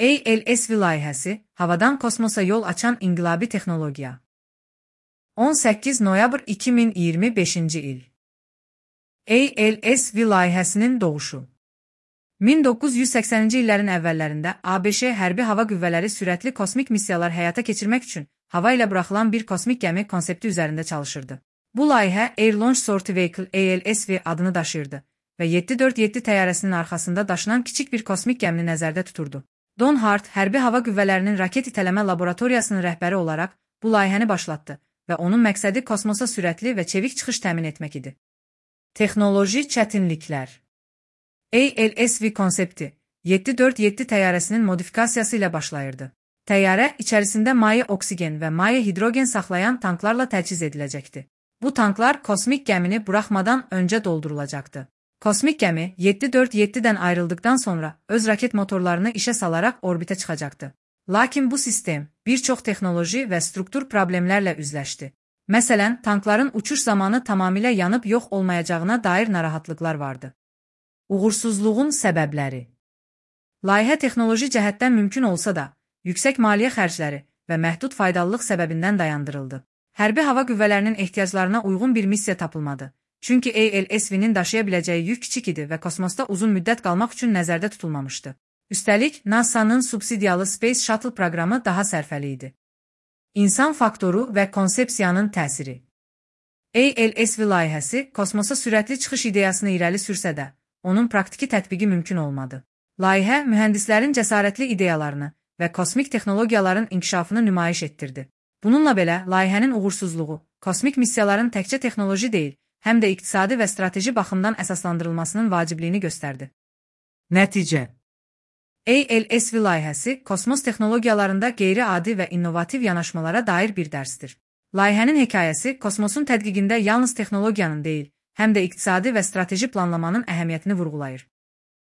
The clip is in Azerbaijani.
ALSV layihəsi, havadan kosmosa yol açan inqilabi texnologiya. 18 noyabr 2025-ci il. ALSV layihəsinin doğuşu. 1980-ci illərin əvvəllərində ABŞ hərbi hava qüvvələri sürətli kosmik missiyalar həyata keçirmək üçün hava ilə buraxılan bir kosmik gəmi konsepti üzərində çalışırdı. Bu layihə Air Launch Sortie Vehicle ALSV adını daşıyırdı və 747 təyyarəsinin arxasında daşınan kiçik bir kosmik gəmini nəzərdə tuturdu. Don Hart, hərbi hava qüvvələrinin raket itələmə laboratoriyasının rəhbəri olaraq bu layihəni başlatdı və onun məqsədi kosmosa sürətli və çevik çıxış təmin etmək idi. Texnoloji çətinliklər. ALSV konsepti 747 təyyarəsinin modifikasiyası ilə başlayırdı. Təyyarə içərisində maye oksigen və maye hidrogen saxlayan tanklarla təchiz ediləcəkdi. Bu tanklar kosmik gəmini buraxmadan öncə doldurulacaqdı. Kosmik gəmi 747-dən ayrıldıqdan sonra öz raket motorlarını işə salaraq orbitə çıxacaqdı. Lakin bu sistem bir çox texnoloji və struktur problemlərlə üzləşdi. Məsələn, tankların uçuş zamanı tamamilə yanıb yox olmayacağına dair narahatlıqlar vardı. Uğursuzluğun səbəbləri. Layihə texnoloji cəhətdən mümkün olsa da, yüksək maliyyə xərcləri və məhdud faydalılıq səbəbindən dayandırıldı. Hərbi hava qüvvələrinin ehtiyaclarına uyğun bir missiya tapılmadı. Çünki ALSV-nin daşıya biləcəyi yük kiçik idi və kosmosda uzun müddət qalmaq üçün nəzərdə tutulmamışdı. Üstəlik, NASA-nın subsidiyalı Space Shuttle proqramı daha sərfəli idi. İnsan faktoru və konsepsiyanın təsiri. ALSV layihəsi kosmosa sürətli çıxış ideyasını irəli sürsə də, onun praktiki tətbiqi mümkün olmadı. Layihə mühəndislərin cəsarətli ideyalarını və kosmik texnologiyaların inkişafını nümayiş etdirdi. Bununla belə, layihənin uğursuzluğu, kosmik missiyaların təkcə texnoloji deyil, həm də iqtisadi və strateji baxımdan əsaslandırılmasının vacibliyini göstərdi. Nəticə. ALSV layihəsi kosmos texnologiyalarında qeyri-adi və innovativ yanaşmalara dair bir dərsdir. Layihənin hekayəsi kosmosun tədqiqində yalnız texnologiyanın deyil, həm də iqtisadi və strateji planlamanın əhəmiyyətini vurğulayır.